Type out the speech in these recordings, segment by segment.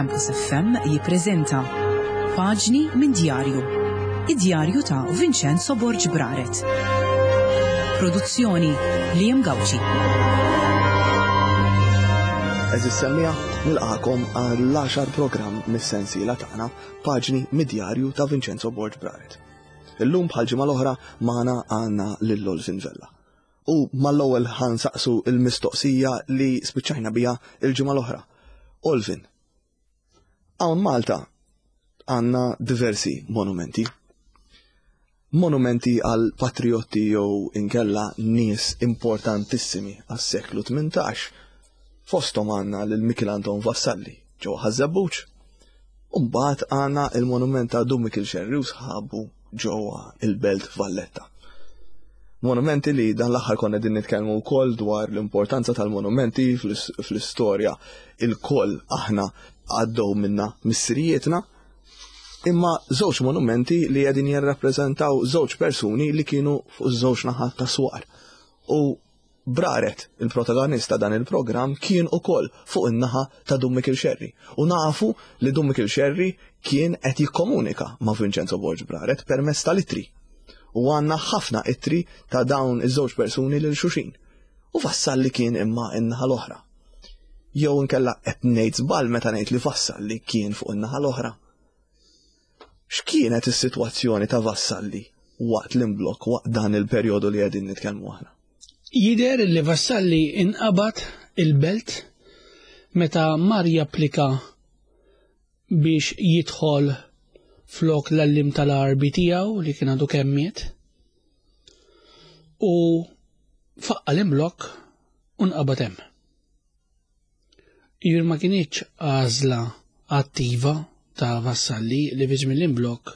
Campus FM jippreżenta Paġni minn Djarju. Id-djarju ta' Vincenzo Borg Braret. Produzzjoni Liam Gauci. Eżis semmija, nilqakom għall-10 programm mis-sensiela tagħna Paġni mid-djarju ta' Vincenzo Borg Braret. Illum bħal ġimgħa l-oħra magħna għandna lil Olvin Vella. U mal-ewwel ħansaqsu il-mistoqsija li spiċċajna biha il-ġimgħa l-oħra. Olvin, hawn Malta għandna diversi monumenti. Monumenti għal patriotti jew inkella nies importantissimi għas-seklu 18. Fosthom għandna lil Mikiel Anton Vassalli ġewwa Ħaż-Żebbuġ. U mbagħad għandna il-monument ta' Dun Mikiel Xerri u sħabu ġewwa il-Belt Valletta. Monumenti li dan l-aħħar konna din nitkellmu wkoll dwar l-importanza tal-monumenti fl-istorja il-koll aħna għaddew minna missirijietna, imma żewġ monumenti li qegħdin jirrappreżentaw żewġ persuni li kienu fuq żewġ naħat ta' swar. U Braret, il-protagonist ta' dan il-programm, kien ukoll fuq in-naħa ta' Dun Mikiel Xerri. U nafu li Dun Mikiel Xerri kien qed jikkomunika ma' Vincenzo Borg Braret permezz tal-ittri. U għandna ħafna ittri ta' dawn iż-żewġ persuni lil xulxin. U Vassalli kien imma in-naħa l-oħra. Jew inkella qed ngħid żball meta ngħid li Vassalli kien fuq in-naħa l-oħra. X'kienet is-sitwazzjoni ta' Vassalli waqt l-imblokk, waqt dan il-perjodu li qegħdin nitkellmu aħna? Jidher li Vassalli inqabad il-belt meta mar japplika biex jidħol flok l-għalliem tal-Għarbi tiegħu li kien għadu kemm miet u faqqa l-imblokk u nqabad hemm. Jiġifieri ma kinitx għażla attiva ta' Vassalli li fi żmien l-imblokk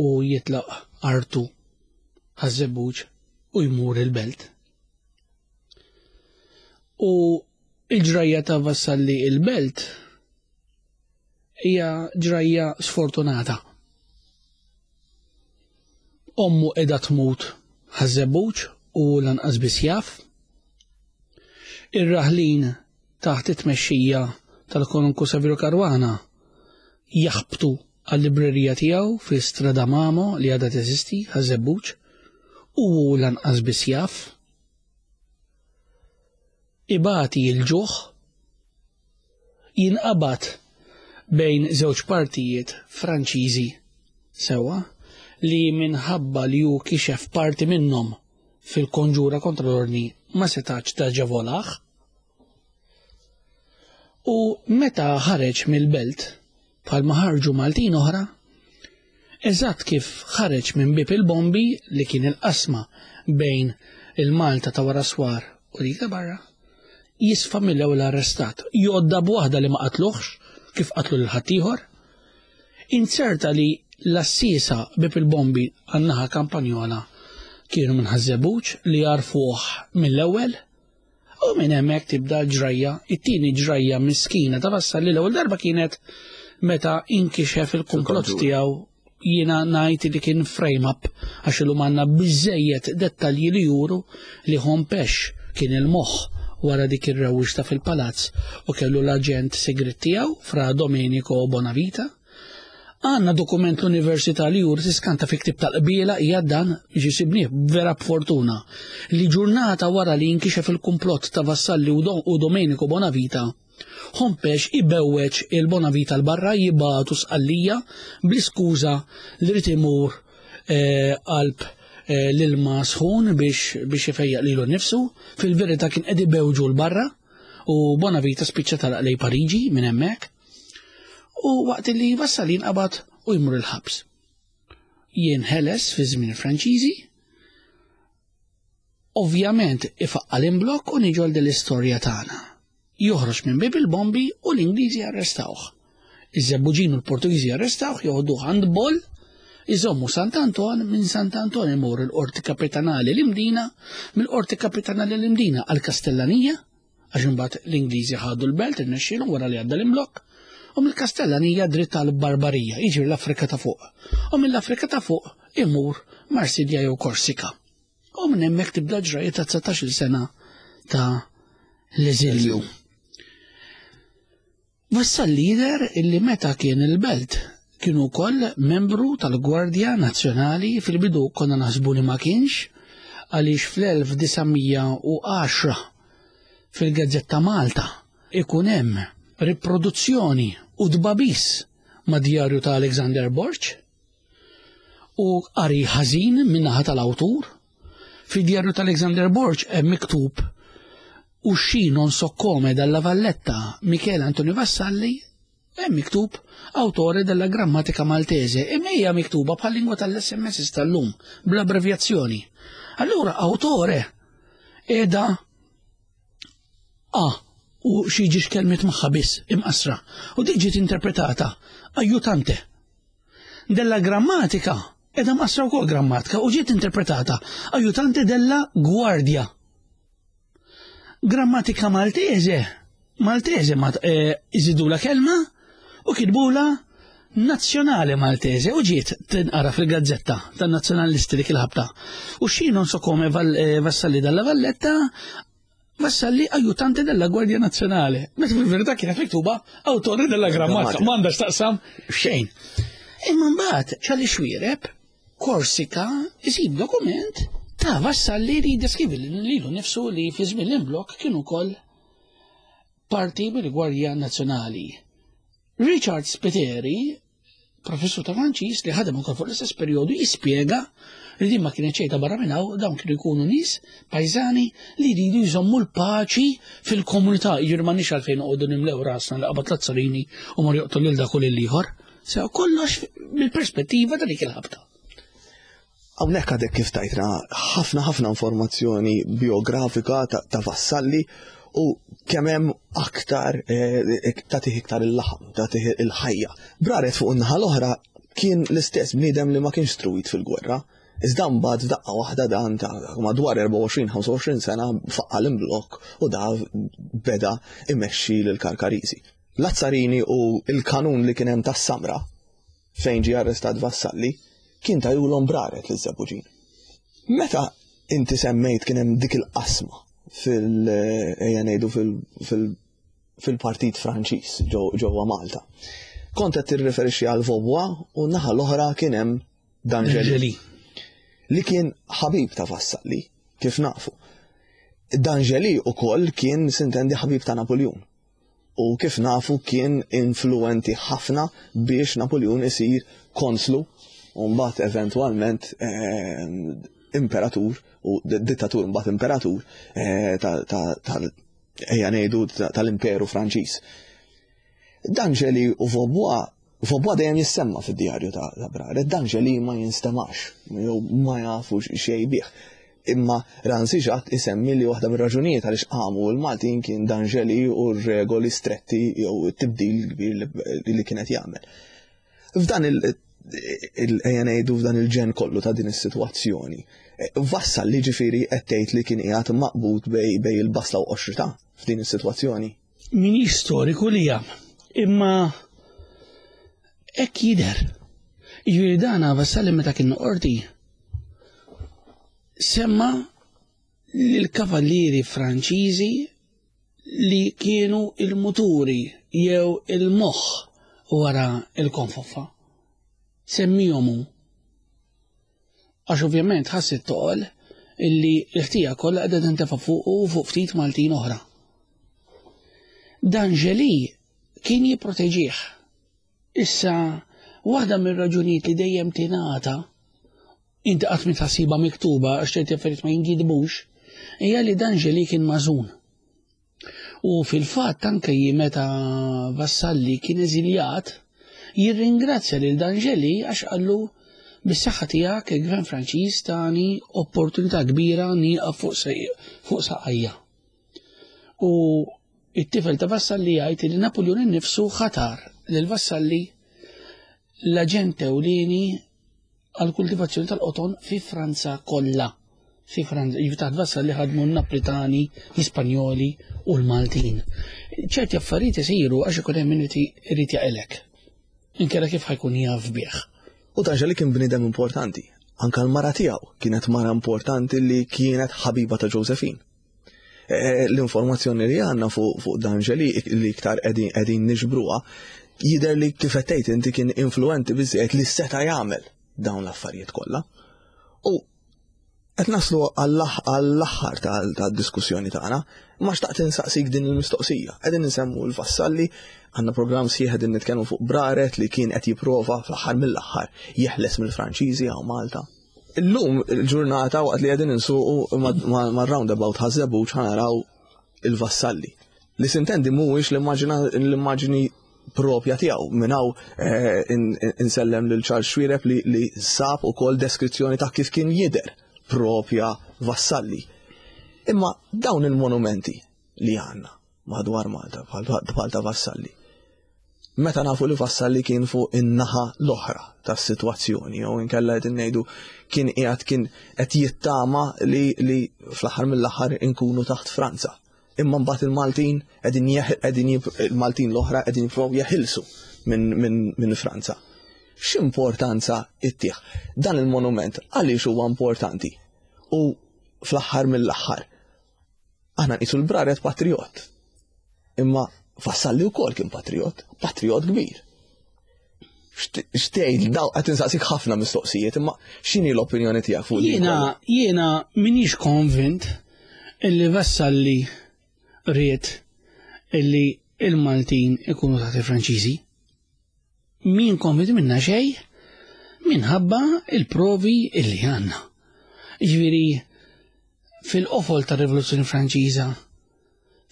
u jitlaq artu Ħaż-Żebbuġ u jmur il-belt. U il-ġrajja ta' Vassalli il-belt hija ġrajja sfortunata. Ommu qiegħda tmut Ħaż-Żebbuġ u lanqas biss jaf. Ir-raħlin taħt it-tmexxija tal-Konunku Saverio Caruana jaħbtu għal-librerija tiegħu fi Strada Mamo li għadha teżisti Ħaż-Żebbuġ u hu lanqas biss jaf. Ibati l-ġuħ, jinqabad bejn żewġ partijiet Franċiżi sewwa li minħabba li hu kixef parti minnhom fil-konġura kontra l-ordni ma setax taġevolah. U meta ħareġ mill-belt, bħalma ħarġu Maltin oħra, eżatt kif ħareġ minn bieb il-bombi li kien il-qasma bejn il-Malta ta' wara swar u dik ta' barra, jisfa' mill-ewwel arrestat. Jgħodda b'waħda li ma qatluhx kif qatlu lil ħaddieħor. Inzerta li l-għassiesa bieb il-bombi għan-naħa Kampanjola kienu minn Ħaż-Żebbuġ li għarfuh mill-ewwel. U minn hemmhekk tibda l-ġrajja, it-tieni ġrajja miskina ta' Vassalli l-ewwel darba kienet meta inkixef il-kumplott tiegħu jiena ngħid li kien frame up għax illum għandna biżejjed dettalji li juru li Hompesch kien il-moħħ wara dik ir-rewwixta fil-palazz u kellu l-aġent sigriet tiegħu Fra Domenico Bonavita. Għandna dokument l-Università li juri tiskanta fi ktieb tal-qbiela hija dan biex isibnieh vera b'fortuna li ġurnata wara li jinkixef il-kumplott ta' Vassalli u Domenico Bonavita, Hompesch ibewweġ il-Bonavita 'l barra jibagħtu Sqallija bl-iskuża li rid imur eh, qalb eh, l-ilma sħun biex biex ifejjaq lilu nnifsu, fil-verità kien qed ibewġu 'l barra u Bonavita spiċċa talaq lej Pariġi minn hemmhekk. U waqt li Vassalli jinqabad u jmur il-ħabs. Jinħeles fi żmien il-Franċiżi, ovvjament ifaqqa l-imblokk u niġu għal din l-istorja tagħna. Joħroġ minn bieb il-bombi u l-Ingliżi arrestawh. Iż-Żebbuġin u l-Portugiżi arrestawh, joħduh għand Boll, iżommu Sant'Anton, minn Sant'Anton imur il-Qorti Kapitanali l-Imdina, mill-Qorti Kapitanali l-Imdina għall-Kastellanija, għax imbagħad l-Ingliżi ħadu l-belt irnexxielhom wara li għadda l-imblokk, u mill-Kastellanija dritt għal Barbarija, jiġri l-Afrika ta' fuq. U mill-Afrika ta' fuq imur Marsilja jew Korsika. U minn hemmhekk tibda ġrajja ta' 19-il sena ta' l-eżilju. Vassalli jidher illi meta kien il-belt kien ukoll membru tal-Gwardja Nazzjonali fil-bidu konna naħsbu li ma kienx għaliex fl-1910 fil-Gazzetta Malta ikun hemm riproduzzjoni u tbagħbis ma' djarju ta' Alexander Borg u qari ħażin min-naħa tal-awtur. Fid-djarju ta' Alexander Borg hemm miktub Uscì non so come dalla Valletta Michele Antonio Vassalli hemm miktub autore della grammatica maltese imma hija miktuba bħal lingwa tal-SMS tal-lum bl-abbrevjazzjoni. Allura autore qiegħda A u xi ġiex kelmiet magħha biss imqassra u dik ġiet interpretata ajutante. Della grammatica qiegħda mqassra wkoll grammatika u ġiet interpretata ajutante della guardia. Grammatika Maltese, Maltese ma eh, iżidula kelma u kitbula Nazzjonale Maltese u ġiet tinqara fil-gazzetta tan-nazzjonalisti dik il-ħabta. U xi non so come eh, Vassalli dalla Valletta Vassalli aiutante della Guardia Nazzjonale. Meta fil-verità kienet miktuba autore della grammatica, m'għandax taqsam xejn. Imma mbagħad ċali xwiereb Korsika isib dokument ta' Vassalli li jiddeskrivi lilu nnifsu li fi żmien l-imblokk kien ukoll parti mill-Gwardja Nazzjonali. Richard Spiteri, professur ta' Franċiż li ħadem ukoll fuq l-istess perjodu, jispjega li din ma kienet xejn ta' barra minn hawn, dawn kienu jkunu nies pajżani li jridu jżommu l-paċi fil-komunità, jiġifieri m'għandniex għalfejn noqogħdu nimlew rasna li qabad Lazzarini u mar joqtol lil dak u lil ieħor. Sew kollox mill-perspettiva ta' dik il-ħabta. Hawnhekk għadek kif tajtna ħafna ħafna informazzjoni biografika ta' Vassalli u kemm hemm aktar eh, tagħtih iktar il-laħam, tagħtih il-ħajja. Braret fuq in-naħa l-oħra kien l-istess bniedem li ma kienx struwit fil-gwerra. Iżda mbagħad f'daqqa waħda dan ta' madwar 24-25 sena faqqa l-imblokk u da beda imexxi lill-Karkariżi. Lazzarini u l-kanun li kien hemm tas-Samra fejn ġie arrestat Vassalli kien tajulhom braret liż-Żebbuġin. Meta inti semmejt kien hemm dik il-qasma fil ejja ngħidu fil-Partit Franċiż ġewwa Malta. Kont qed tirriferixxi għal Vaubois u n-naħa l-oħra kien hemm D'Angeli. Li kien ħabib ta' Vassalli, kif nafu. D'Angeli ukoll kien sintendi ħabib ta' Napoljun. U kif nafu kien influenti ħafna biex Napoljun isir konslu u mbagħad eventwalment eh, imperatur u dittatur mbagħad imperatur eh, tal ejja ngħidu tal-Imperu Franċiż. D'Angeli u Vaubois Vaubois dejjem jissemma fid-djarju ta' Braret, D'Angeli ma jinstemax, jew ma jafux xejn bih. Imma Ransi Ġatt isemmi li waħda mir-raġunijiet għaliex qamu l-Maltin kien D'Angeli u r-regoli stretti jew it-tibdil kbir li kien qed jagħmel. F'dan il ejja ngħidu f'dan il-ġen kollu ta' din is-sitwazzjoni, vassal li ġifieri qed tgħid li kien qiegħed maqbud bej il-basla u qoxrita f'din is-sitwazzjoni. Minix storiku li jam, imma hekk jidher. Jiġifieri dana Vassalli meta kien qorti semma l-kavallieri Franċiżi li kienu il-muturi jew il-moħħ wara il-konfoffa. Semmihom hu. Għax ovvjament ħass it-toqol illi l-ħtija kollha qiegħda tintefa' fuqu u fuq ftit Maltin oħra. Dan Ġeli kien jipproteġih. Issa, waħda mir-raġunijiet li dejjem tingħata inti qatt ma tħassiba miktuba għax ċerti affarijiet ma jinkitbux, hija li dan Ġeli kien mażun. U fil-fatt anke meta Vassalli kien eżiljat, jirringrazzja lil D'Angeli għax qallu bis-saħħa tiegħek il-Gvern Franċiż tani opportunità kbira nieqaf fuq saqajja. U it-tifel ta' Vassalli jgħid li Napoleon innifsu ħatar lil Vassalli l-aġent ewlieni għall-kultivazzjoni tal-qoton fi Franza kollha. Fi Franza, jiġifieri taħt Vassalli ħadmu n-Naplitani, l-Ispanjoli u l-Maltin. Ċerti affarijiet isiru għax ikun hemm min irid jaqilek. Inkella kif ħajkun jaf bih. U D'Angeli kien bniedem importanti. Anka l-mara tiegħu kienet mara importanti li kienet ħabiba ta' Josephine. eh, l-informazzjoni li għandna fuq D'Angeli li iktar qegħdin niġbruha jidher li kif qed tgħid inti kien influenti biżejjed li seta' jagħmel dawn l-affarijiet kollha. U qed naslu għall-aħħar tad-diskussjoni tagħna, ma xtaqt insaqsik din il-mistoqsija. Qegħdin insemmu l-Vassalli, għandna programm sħiħ qegħdin nitkellmu fuq Braret li kien qed jipprova fl-aħħar mill-aħħar jeħles mill-Franċiżi hawn Malta. Illum il-ġurnata waqt li qegħdin insuqu mar-roundabout Ħaż-Żebbuġ ħanaraw il-Vassalli. Li sintendi mhuwiex l-immaġini propja tiegħu. Minn hawn eh, insellem lil Charles Xuereb li, li sab ukoll deskrizzjoni ta' kif kien jidher propja Vassalli. Imma dawn il-monumenti li għandna madwar Malta bħal ta' Vassalli. Meta nafu li Vassalli kien fuq in-naħa l-oħra tas-sitwazzjoni jew inkella qed ngħidu kien qiegħed kien qed jittama li, li fl-aħħar mill-aħħar inkunu taħt Franza. Imma mbagħad il-Maltin qegħdin qegħdin il-Maltin l-oħra qegħdin jippruvaw jeħilsu minn min, min Franza. X'importanza ittih dan il-monument għaliex huwa importanti? U fl-aħħar mill-aħħar aħna nqisu l-Braret patriot. Imma Vassalli wkoll kien patriot, patriot kbir. Xtejt, daw qed insaqsik ħafna mistoqsijiet, imma x'inhi l-opinjoni tiegħek fuq Jiena jiena minix konvint illi Vassalli ried illi il-Maltin ikunu taħt il-Franċiżi. Min konvint minna xejn minħabba il-provi illi għandna. Ġifieri fil-qofol tar-Rivoluzzjoni Franċiża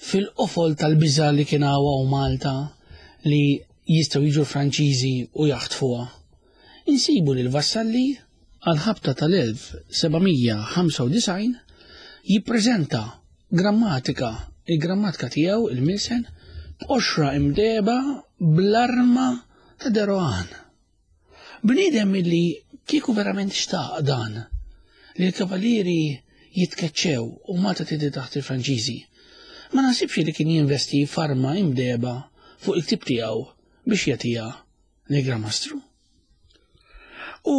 fil-qofol tal-biża' li kien hawn Malta li jistgħu jiġu l-Franċiżi u jaħtfuha. Insibu lil Vassalli għall-ħabta tal-1795 jippreżenta grammatika, il-grammatika tiegħu il-Milsen b'qoxra imdehba bl-arma ta' De Rohan. Bniedem illi kieku verament xtaq dan, li l-kavallieri jitkeċċew u Malta tiddi taħt il-Franċiżi, ma naħsibx li kien jinvesti f'arma imdehba fuq il-ktieb tiegħu biex jagħtiha lill-Gran Mastru. U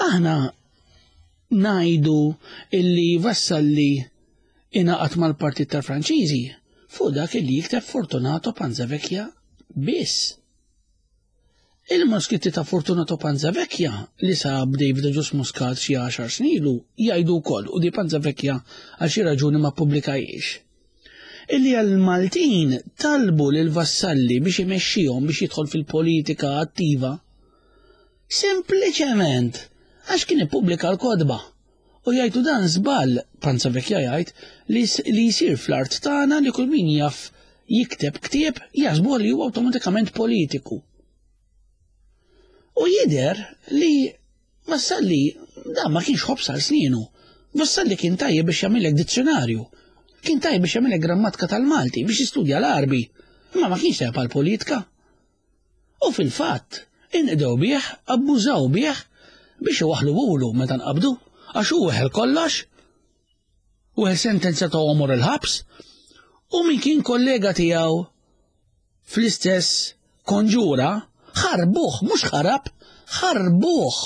aħna ngħidu illi Vassalli ingħaqad mal-partit tal-Franċiżi fuq dak illi jikteb Fortunato Panzavecchia biss. Il-manuskritti ta' Fortunato Panzavecchia li sab David Agius Muscat xi għaxar snin ilu jgħidu wkoll u di Panzavecchia għal xi raġuni ma ppubblikahiex. Illi għall-Maltin talbu lil Vassalli biex imexxihom biex jidħol fil-politika attiva sempliċement għax kien ippubblika l-kotba. U jgħidu dan żball, Panzavecchia jgħid, li, li jsir fl-art tagħna li kull min jaf jikteb ktieb jaħsbuh li huwa awtomatikament politiku. U jidher li Vassalli dan ma kienx ħobż għal snienu. Vassalli kien tajjeb biex jagħmilek dizzjonarju. Kien tajjeb biex jagħmilek grammatika tal-Malti, biex jistudja l-Għarbi. Imma ma kienx tajjeb għall-politika. U fil-fatt, inqdew bih, abbużaw bih biex iwaħħluhulu meta nqabdu, għax hu weħel kollox, weħel sentenza ta' għomor il-ħabs, u min kien kollega tiegħu fl-istess konġura, ħarbuh, mhux ħarab, ħarbuh.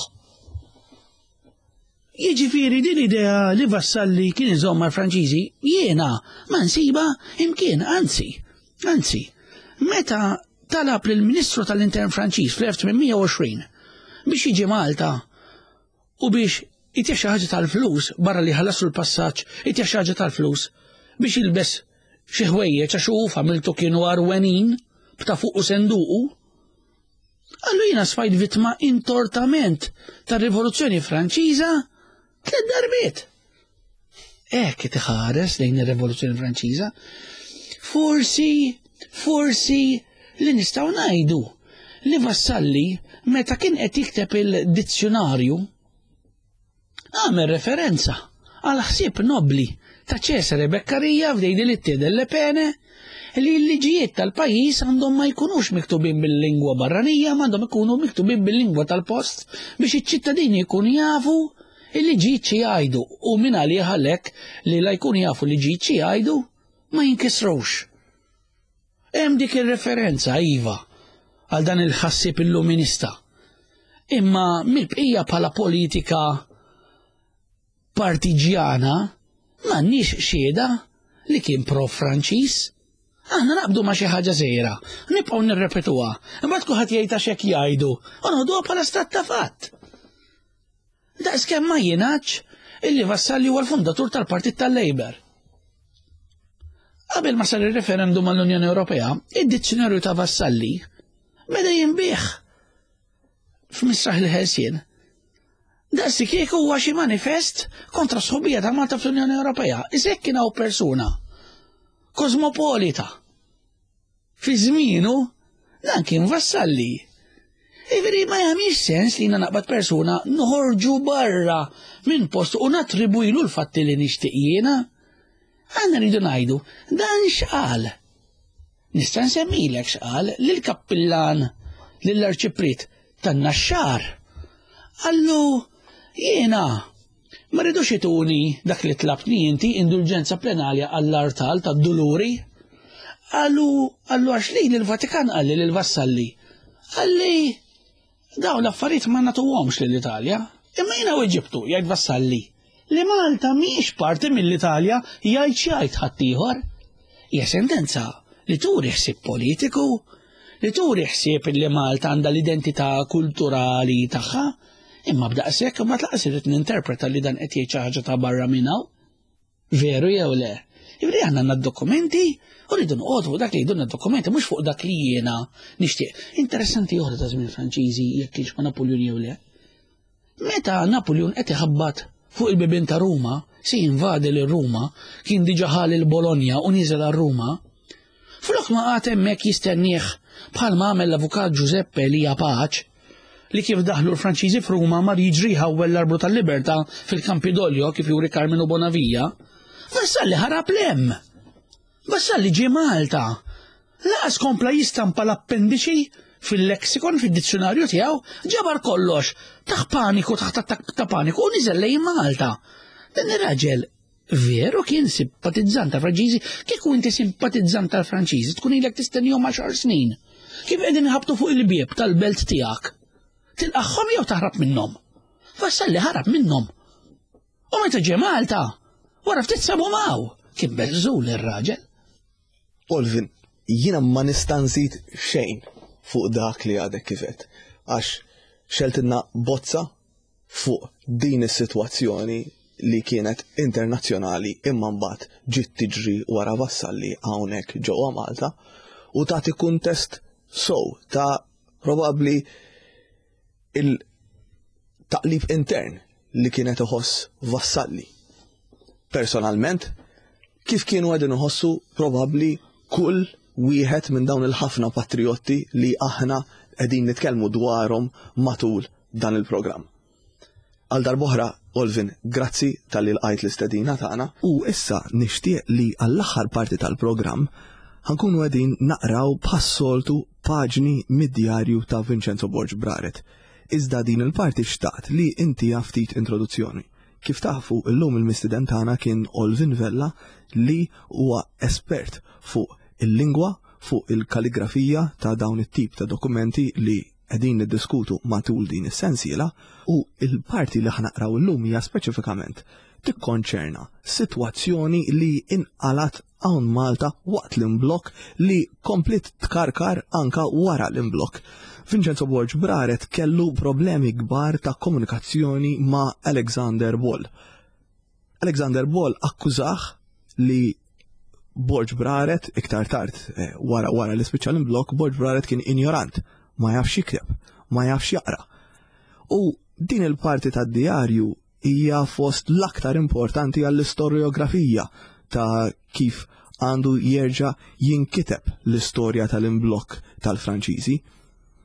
Jiġifieri din l-idea li Vassalli kien iżomm mal-Franċiżi jiena ma nsibha imkien, anzi, anzi, meta talab lill-Ministru tal-Intern Franċiż fl-1820 biex jiġi Malta u biex itih xi ħaġa tal-flus barra li ħallaslu l-passaġġ, itih xi ħaġa tal-flus biex jilbes xi ħwejjeġ għax hu u familtu kienu għarwenin b'ta' fuq u senduqu. Qallu jiena sfajt vittma intortament tar-Rivoluzzjoni Franċiża tliet darbiet. Hekk qed iħares lejn ir-Rivoluzzjoni Franċiża. Forsi, forsi li nistgħu ngħidu li Vassalli meta kien qed jikteb il-dizzjonarju Għamel referenza għal ħsieb nobbli ta' Cesare Beccaria f'Dei delitti e delle pene li l-liġijiet tal-pajjiż għandhom ma jkunux miktubin bil-lingwa barranija ma għandhom ikunu miktubin bil-lingwa tal-post biex iċ-ċittadini jkunu jafu il-liġijiet xi jgħidu u min għalih għalhekk li la jkunu jafu liġijiet xi jgħidu ma jinkisrux. Hemm dik ir-referenza, iva, għal dan il-ħassieb illuminista. Imma mill-bqija bħala politika partiġjana m'għandniex xhieda. li kien pro-Franċiż. Aħna naqbdu ma' xi ħaġa żgħira, nibqgħu nirrepetuha, imbagħad kulħadd jgħid għax hekk jgħidu, u noħduha bħala stat ta' fatt. Daqskemm ma jingħadx illi Vassalli huwa l-fundatur tal-Partit tal-Labour. Qabel ma sar ir-referendum għall-Unjoni Ewropea, id-dizzjonarju ta' Vassalli beda jinbih f'Misraħ il-Ħelsien. Daqsi kieku huwa xi manifest kontra sħubija ta' Malta fl-Unjoni Ewropea. Iżek kien hawn persuna kosmopolita Fi żmienu, dan kien Vassalli. Jiġifieri ma jagħmilx sens li jiena naqbad persuna noħorġu barra minn post u nattribwilu l-fatti li nixtieq jiena. Aħna rridu ngħidu dan x'qal. Nista' nsemmilek x'qal lill-kappillan lill-arċipriet tan-Naxxar. Qallu jiena Ma ridux ituni dak li tlabtni inti indulġenza plenarja għall-artal tad-Duluri. Qallu, qallu għax lili l-Vatikan qalli lil Vassalli. Qalli dawn l-affarijiet ma nagħtuhomx lill-Italja. Imma jiena weġibtu, jgħid Vassalli, li Malta mhijiex parti mill-Italja jgħid x'jgħid ħaddieħor. Hija sentenza li turi ħsieb politiku, li turi ħsieb li Malta għandha l-identità kulturali tagħha, imma b'daqshekk imbagħad laqas irrid ninterpreta li dan qed jgħid xi ħaġa ta' barra minn hawn. Veru jew le? Jiġifieri aħna għandna d-dokumenti u rridu noqogħdu fuq dak li jgħidulna d-dokumenti mhux fuq dak li jiena nixtieq. Interessanti oħra ta' żmien Franċiżi jekk kienx ma' Napoleon jew le. Meta Napoleon qed iħabbat fuq il-bibien ta' Ruma, se jinvadi lil Ruma, kien diġà ħa lil Bologna u niżel għal Ruma, flok ma qagħad hemmhekk jistennieh bħalma għamel l-avukat Giuseppe Elia Pace, li kif daħlu l-Franċiżi f'Ruma mar jiġri jħawwel l-arblu tal-libertà fil-Campidoglio kif juri Carminu Bonavia, Vassalli ħarab 'l hemm. Vassalli ġie Malta. Laqas kompla jistampa l-appendiċi fil-lexikon, fid-dizzjunarju tiegħu, ġabar kollox, taħ paniku, taħt attakk ta' paniku u niżel lejn Malta. Dan ir-raġel veru kien simpatizzant tal-Franċiżi, kieku inti simpatizzant tal-Franċiżi tkun ilek tistennihom għaxar snin. Kif qegħdin iħabbtu fuq il-bieb tal-belt tiegħek? Tilqagħhom jew taħrab minnhom? Vassalli ħarab minnhom. U meta ġie Malta, wara ftit sabu maw, kien beżżul ir-raġel. Olvin, jiena ma nista' nżid xejn fuq dak li għadek kif għedt, għax xeltilna bozza fuq din is-sitwazzjoni li kienet internazzjonali imma mbagħad ġiet tiġri wara Vassalli hawnhekk ġewwa Malta u tagħti kuntest sow ta' probabbli il-taqlib intern li kienet iħoss Vassalli. Personalment, kif kienu għedin iħossu probabbli kull wieħed minn dawn il-ħafna patriotti li aħna qegħdin nitkellmu dwarhom matul dan il-programm. Għal darb'oħra, Olvin, grazzi talli lqajt l-istedina tagħna. U issa nixtieq li għall-aħħar parti tal-programm ħa nkunu qegħdin naqraw bħas-soltu paġni mid-djarju ta' Vincenzo Borg Braret. Iżda din il-parti xtaqt li intiha ftit introduzzjoni. Kif tafu, illum il-mistieden tagħna kien Olvin Vella li huwa espert fuq il-lingwa, fuq il-kaligrafija ta' dawn it-tip ta' dokumenti li qegħdin niddiskutu matul din is-sensiela u l-parti li ħa naqraw illum hija speċifikament tikkonċerna sitwazzjoni li inqalat hawn Malta waqt l-imblokk li kompliet tkarkar anka wara l-imblokk. Vincenzo Borg Braret kellu problemi kbar ta' komunikazzjoni ma' Alexander Ball. Alexander Ball akkużah li Borg Braret iktar tard eh, wara wara li spiċċa l-imblokk Borg Braret kien injorant, ma jafx jikteb, ma jafx jaqra. U din il-parti tad-dijarju hija fost l-aktar importanti għall-istorjografija ta' kif għandu jerġa' jinkiteb l-istorja tal-imblokk tal-Franċiżi.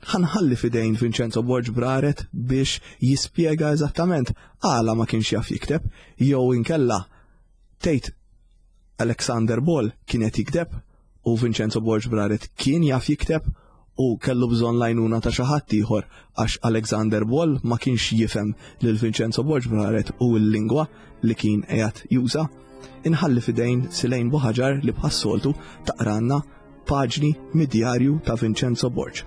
Ħa nħalli f'idejn Vincenzo Borg Braret biex jispjega eżattament għala ma kienx jaf jikteb jew inkella tgħid Alexander Ball kien qed jikteb u Vincenzo Borg Braret kien jaf jikteb u kellu bżonn l-għajnuna ta' xi ħadd ieħor għax Alexander Ball ma kienx jifhem lil Vincenzo Borg Braret u l-lingwa li kien qiegħed juża. Inħalli f'idejn Silejn Buħaġar li bħas-soltu taqranna Paġni mid-djarju ta' Vincenzo Borg.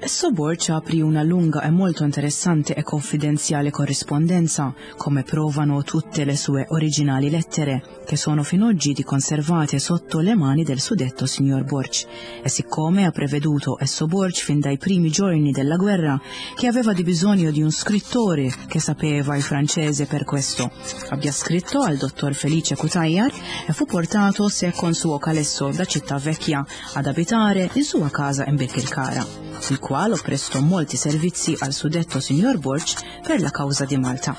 Esso Borg apri una lunga e molto interessante e confidenziale corrispondenza, come provano tutte le sue originali lettere, che sono fin oggi di conservate sotto le mani del suddetto signor Borg. E siccome ha preveduto esso Borg fin dai primi giorni della guerra che aveva di bisogno di un scrittore che sapeva il francese per questo, abbia scritto al dottor Felice Cutajar e fu portato se con suo calesso da Città Vecchia ad abitare in sua casa in Birkirkara, il quale prestò molti servizi al suddetto signor Borg per la causa di Malta.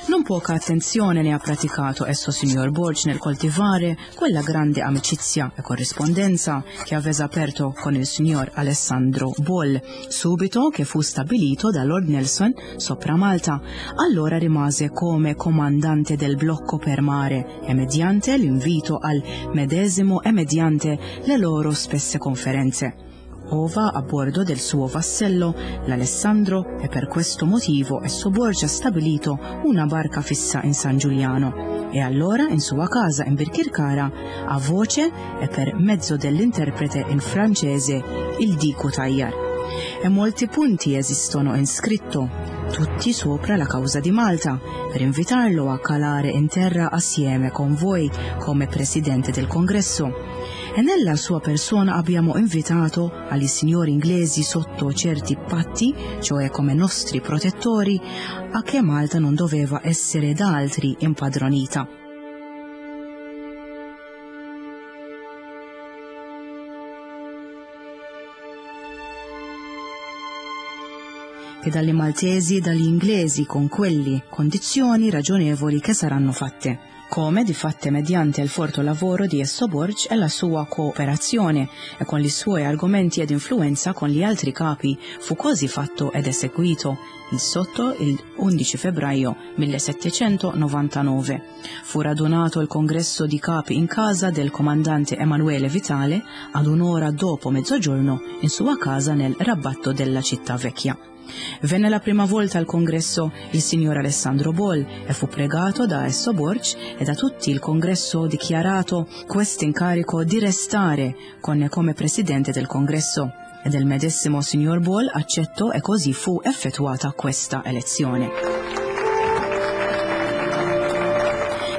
Non poca attenzione ne ha praticato esso signor Borg nel coltivare quella grande amicizia e corrispondenza che aveva aperto con il signor Alessandro Boll, subito che fu stabilito da Lord Nelson sopra Malta. Allora rimase come comandante del blocco per mare e mediante l'invito al medesimo e mediante le loro spesse conferenze. Ova a bordo del suo vassello, l'Alessandro, e per questo motivo esso Borgia ha stabilito una barca fissa in San Giuliano. E allora in sua casa in Birkirkara, a voce e per mezzo dell'interprete in francese, il Dico Tagliar. E molti punti esistono in scritto, tutti sopra la causa di Malta, per invitarlo a calare in terra assieme con voi come presidente del congresso. E nella sua persona abbiamo invitato agli signori inglesi sotto certi patti, cioè come nostri protettori, a che Malta non doveva essere da altri impadronita. Che dalle maltesi e dagli inglesi con quelli condizioni ragionevoli che saranno fatte, come di fatte mediante il forte lavoro di Esso Borg e la sua cooperazione e con i suoi argomenti ed influenza con gli altri capi fu così fatto ed eseguito il sotto il 11 febbraio 1799. Fu radunato il congresso di capi in casa del comandante Emanuele Vitale ad un'ora dopo mezzogiorno in sua casa nel rabatto della città vecchia. Venne la prima volta al congresso il signor Alessandro Boll e fu pregato da Esso Borg e da tutti il congresso dichiarato questo incarico di restare con come presidente del congresso. E del medesimo signor Boll accettò e così fu effettuata questa elezione.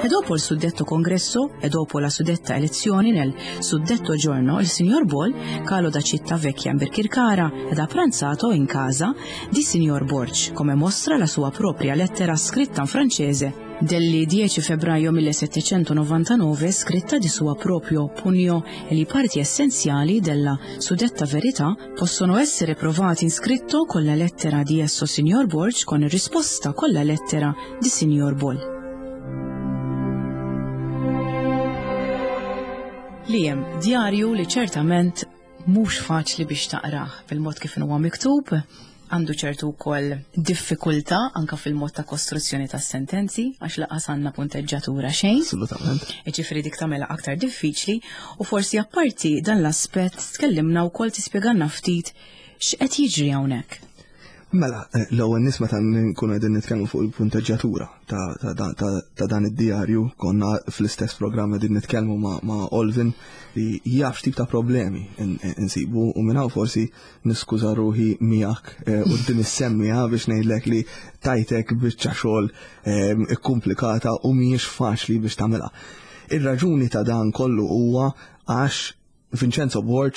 E dopo il suddetto congresso e dopo la suddetta elezione nel suddetto giorno il signor Boll calò da Città Vecchia in Birkirkara ed ha pranzato in casa di signor Borg, come mostra la sua propria lettera scritta in francese del 10 febbraio 1799, scritta di suo proprio pugno, e le parti essenziali della suddetta verità possono essere provate in scritto con la lettera di esso signor Borg con risposta con la lettera di signor Boll. Li hemm djarju li ċertament mhux faċli biex taqrah bil-mod kif huwa miktub, għandu ċertu wkoll diffikultà anka fil-mod ta' kostruzzjoni tas sentenzi għax laqas għandna punteġġatura xejn. Assolutament. Jiġifieri dik tagħmilha aktar diffiċli u forsi apparti dan l-aspett tkellimna wkoll tispjegalna ftit x'qed jiġri hawnhekk. Mela, l-ewwel nies meta nkunu qegħdin nitkellmu fuq il-punteġġatura ta' dan id-djarju, konna fl-istess programm qegħdin nitkellmu ma' Olvin li jaf x'tip ta' problemi insibu u minn hawn forsi niskuża ruħi miegħek quddiem is-semmiegħa biex ngħidlek li tajtek biċċa xogħol ikkumplikata u mhijiex faċli biex tagħmilha. Ir-raġuni ta' dan kollu huwa għax Vincenzo Borg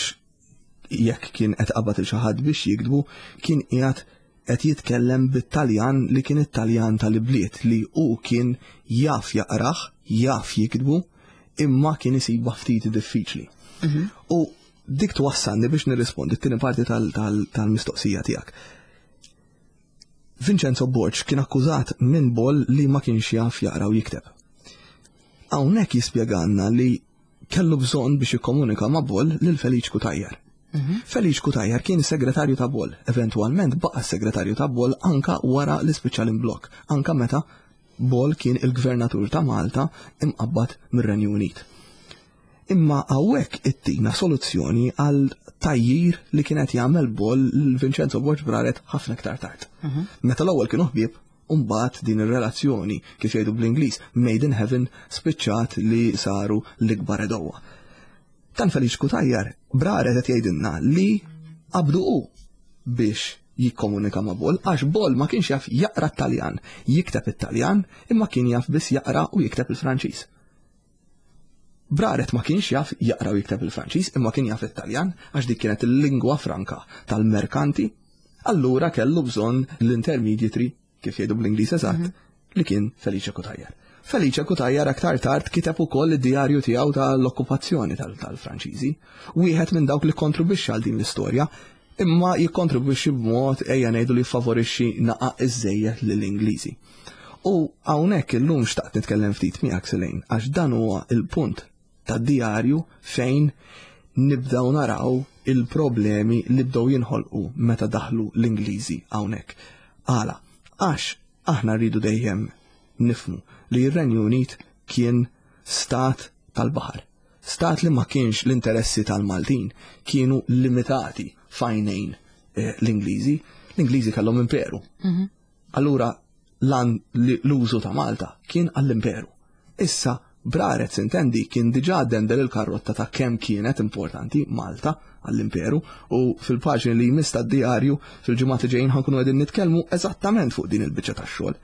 jekk kien qed qabad il xi ħadd biex jiktbu, kien qiegħed qed jitkellem bit-Taljan li kien it-Taljan tal-ibliet li hu kien jaf jaqrah, jaf jiktbu, imma kien isibha ftit diffiċli. U dik twassalni biex nirrispondi t-tieni parti tal-mistoqsija tiegħek. Vincenzo Borg kien akkużat minn Boll li ma kienx jaf jaqra u jikteb. Hawnhekk jispjegalna li kellu bżonn biex jikkomunika ma' Boll lil Feliċ Cutajar. Feliċ Cutajar kien segretarju ta' Boll, eventwalment baqa' segretarju ta' Boll anka wara li spiċċa l-imblokk, anka meta Boll kien il-gvernatur ta' Malta imqabbad mir-Renju Unit. Imma hawnhekk ittina soluzzjoni għal tajjir li kien qed jagħmel Boll lil Vincenzo Borg Braret ħafna iktar tard. Meta l-ewwel kienu ħbieb, u mbagħad din ir-relazzjoni, kif jgħidu bl-Ingliż, made in heaven, spiċċat li saru l-ikbar edowa. Tan Feliċ Cutajar, Braret qed jgħidilna li qabdu hu. biex jikkomunika ma' Boll għax Boll ma kienx jaf jaqra t-Taljan, jikteb it-Taljan, imma kien jaf biss jaqra u jikteb il-Franċiż. Braret ma kienx jaf jaqra u jikteb il-Franċiż imma kien jaf it-Taljan għax dik kienet il-lingwa franka tal-merkanti, allura kellu bżonn l-intermediary kif jgħidu bl-Ingliż eżatt, mhm. li kien Felice Cutajar. Felice Cutajar aktar tard kiteb ukoll id-djarju tiegħu tal-okkupazzjoni tal-Franċiżi. Wieħed minn dawk li kontribwixxa għal din l-istorja, imma jikkontribwixxi b'mod ejja ngħidu li jfavorixxi naqa' iżejjed lill-Ingliżi. U hawnhekk illum xtaqt nitkellem ftit miegħek Selejn għax dan huwa il-punt tad-djarju fejn nibdew naraw il-problemi li bdew jinħolqu meta daħlu l-Ingliżi hawnhekk. Għala? Għax aħna rridu dejjem nifhmu li r-Renju Unit kien stat tal-baħar. Stat li ma kienx l-interessi tal-Maltin kienu limitati f'għajnejn eh, l-Ingliżi. L-Ingliżi kellhom imperu. Mhm. Allura l-użu ta' Malta kien għall-imperu. Issa, Braret sintendi kien diġà dendel il-karrotta ta' kemm kienet importanti Malta għall-imperu u fil-paġni li jmiss tad-dijarju fil-ġimgħat li ġejjin ħankunu qegħdin nitkellmu eżattament fuq din il-biċċa tax-xogħol.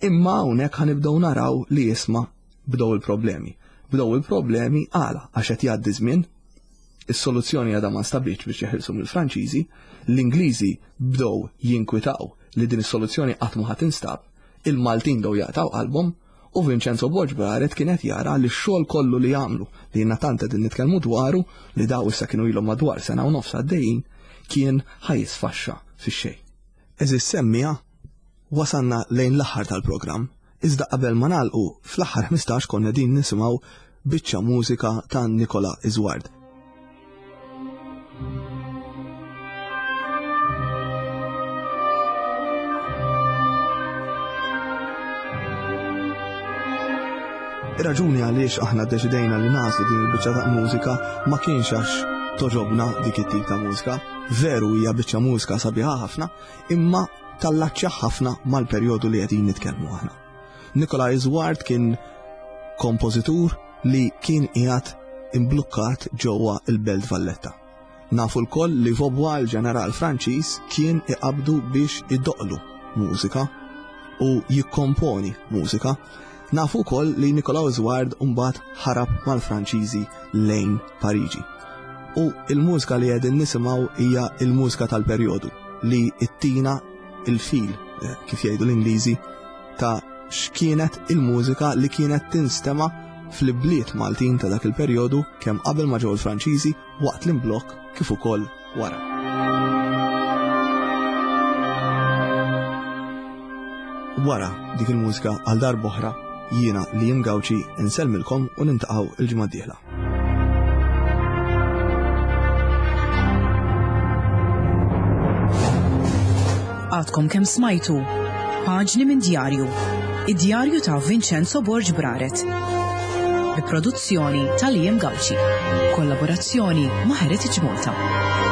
Imma hawnhekk ħanibdew naraw li isma' bdew il-problemi. Bdew il-problemi għala għax qed jgħaddi żmien, is-soluzzjoni għadha ma nstabitx biex jeħilsu mill-Franċiżi, l-Ingliżi bdew jinkwitaw li din is-soluzzjoni qatt ma ħa tinstab, il-Maltin bdew jaqtgħu qalbhom u Vincenzo Borg Braret kien qed jara li x-xogħol kollu li għamlu li jiena tant qegħdin nitkellmu dwaru li daw issa kienu ilhom madwar sena u nofs għaddejjin kien ħa jisfaxxa fix-xejn. Għeżież semmiegħa, wasalna lejn l-aħħar tal-programm, iżda qabel ma nagħlqu fl-aħħar 15 konna qegħdin nisimgħu biċċa mużika ta' Nicola Isward. Ir-raġuni għaliex aħna ddeċidejna li nagħżlu din il-biċċa ta' mużika ma kienx għax toġobna dik it-tip ta' mużika. Veru hija biċċa mużika sabiħa ħafna, imma tallaċċja ħafna mal-perjodu li qegħdin nitkellmu aħna. Nikolaj Zwart kien kompożitur li kien qiegħed imblukkat ġewwa l-Belt Valletta. Nafu lkoll li Vaubois il-ġeneral Franċiż kien iqabbdu biex idoqqlu mużika u jikkomponi mużika. Nafu wkoll li Nicolas Ward mbagħad ħarab mal-Franċiżi lejn Pariġi. U il-mużika li qegħdin nisimgħu hija l-mużika tal-perjodu li ttina il-fil, eh, kif jgħidu l-Ingliżi, ta' x'kienet il-mużika li kienet tinstema' fl-ibliet Maltin ta' dak il-perjodu kemm qabel ma ġew il-Franċiżi waqt l-imblokk kif ukoll wara. Wara dik il-mużika għal darb'oħra jiena li jim Gawċi insellmilkom u nintaqgħu il-ġimgħa d-dieħla. Għadkom kemm smajtu Paġni minn djarju, id-djarju ta' Vincenzo Borg Braret. Bi produzzjoni ta' Liam Gauci. Kollaborazzjoni ma' Heritage Malta.